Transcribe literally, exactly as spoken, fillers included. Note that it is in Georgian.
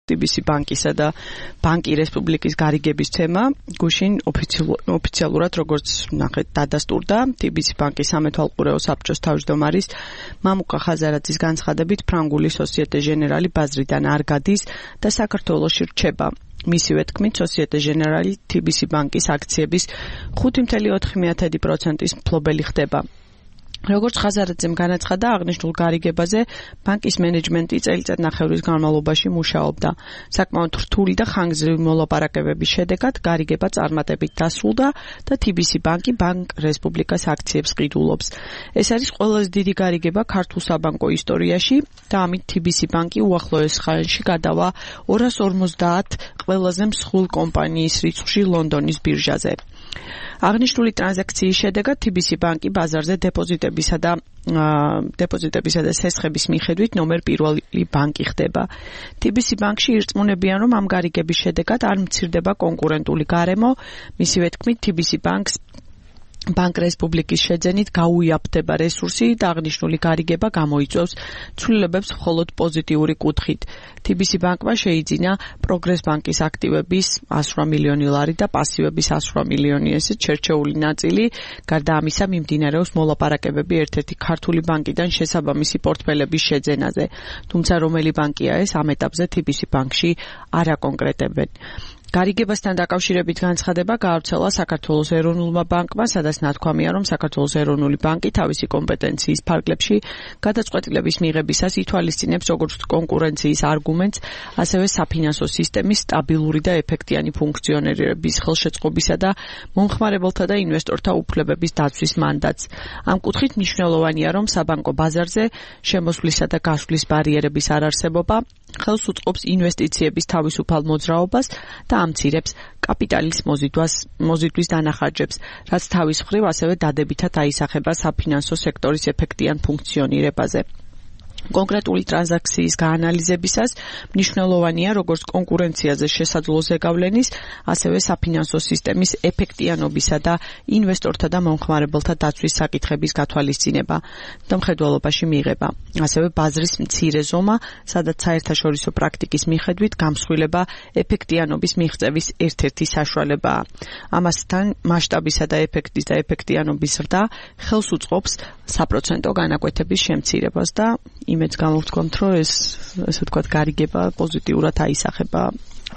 ტი ბი სი ბანკისა და ბანკი რესპუბლიკის გარიგების თემა გუშინ ოფიციალურად როგორც ნახეთ დადასტურდა ტი ბი სი ბანკის სამეთვალყურეო საბჭოს თავმჯდომარის მამუკა ხაზარაძის განცხადებით ფრანგული სოსიეტე ჟენერალი ბაზრიდან არ გადის და საქართველოში რჩება. მისივე თქმით, სოსიეტე ჟენერალი ტი ბი სი ბანკის აქციების ხუთი კoma ოთხი პროცენტის მფლობელი ხდება. როგორც ხაზარაძემ განაცხადა, აღნიშნულ გარიგებაზე ბანკის მენეჯმენტი წელიწადნახევრის განმავლობაში მუშაობდა. საკმაოდ რთული და ხანგრძლივი მოლაპარაკებების შედეგად გარიგება წარმატებით დასრულდა და ტი ბი სი ბანკი ბანკ რესპუბლიკას აქციებს ყიდულობს. ეს არის ყველაზე დიდი გარიგება ქართულ საბანკო ისტორიაში და ამით ტი ბი სი ბანკი უახლოეს ხანში გადავა ორას ორმოცდაათ ყველაზე მსხვილ კომპანიის რიცხვში ლონდონის ბირჟაზე. აღნიშნული ტრანზაქციის შედეგად ტი ბი სი ბანკი ბაზარზე დეპოზიტებისა და დეპოზიტებისა და სესხების მიხედვით ნომერ პირველი ბანკი ხდება. ტი ბი სი ბანკში ირწმუნებიან, რომ ამ გარიგების შედეგად არ მცირდება კონკურენტული გარემო, მისივე თქმით, ტი ბი სი ბანკს ბანკ რესპუბლიკის შეძენით გაუიაფდება რესურსი და აღნიშნული გარიგება გამოიწვევს ცვლილებებს მხოლოდ პოზიტიური კუთხით. ტი ბი სი ბანკმა შეიძინა პროგრეს ბანკის აქტივების ასრვა მილიონი ლარი და პასივების ასრვა მილიონი ესეთ შერჩეული ნაწილი. გარდა ამისა, მიმდინარეობს მოლაპარაკებები ერთ-ერთი ქართული ბანკიდან შესაბამისი პორტფელების შეძენაზე. თუმცა რომელი ბანკია ეს, ამ ეტაპზე ტი ბი სი ბანკში არ აკონკრეტებენ. გარიგებასთან დაკავშირებით განცხადება გაავრცელა საქართველოს ეროვნულმა ბანკმა, სადაც ნათქვამია, რომ საქართველოს ეროვნული ბანკი თავისი კომპეტენციის ფარგლებში გადაწყვეტილების მიღებისას ითვალისწინებს როგორც კონკურენციის არგუმენტს, ასევე საფინანსო სისტემის სტაბილური და ეფექტიანი ფუნქციონირების ხელშეწყობისა და მომხმარებელთა და ინვესტორთა უფლებების დაცვის მანდატს. ამ კუთხით მნიშვნელოვანია, რომ საბანკო ბაზარზე შემოსვლისა და გასვლის ბარიერების არარსებობა ხელს უწყობს ინვესტიციების თავისუფალ მოძრაობას და ამცირებს კაპიტალის მოზიდვას, მოზიდვის დანახარჯებს, რაც თავის მხრივ ასევე დადებითად აისახება საფინანსო სექტორის ეფექტიან ფუნქციონირებაზე. კონკრეტული ტრანზაქციის გაანალიზებისას მნიშვნელოვანია როგორც კონკურენციაზე შესაძლო ზეგავლენის, ასევე საფინანსო სისტემის ეფექტიანობისა და ინვესტორთა და მომხმარებელთა დაცვის საკითხების გათვალისწინება და მხედველობაში მიღება. ასევე ბაზრის მცირე ზომა, სადაც საერთაშორისო პრაქტიკის მიხედვით გამსხვილება ეფექტიანობის მიღწევის ერთ-ერთი საშუალებაა. ამასთან მასშტაბისა და ეფექტის და ეფექტიანობის ზრდა ხელს უწყობს საპროცენტო განაკვეთების შემცირებას და იმედს გამოვთქვამთ, რომ ეს ესე ვთქვათ გარიგება პოზიტიურად აისახება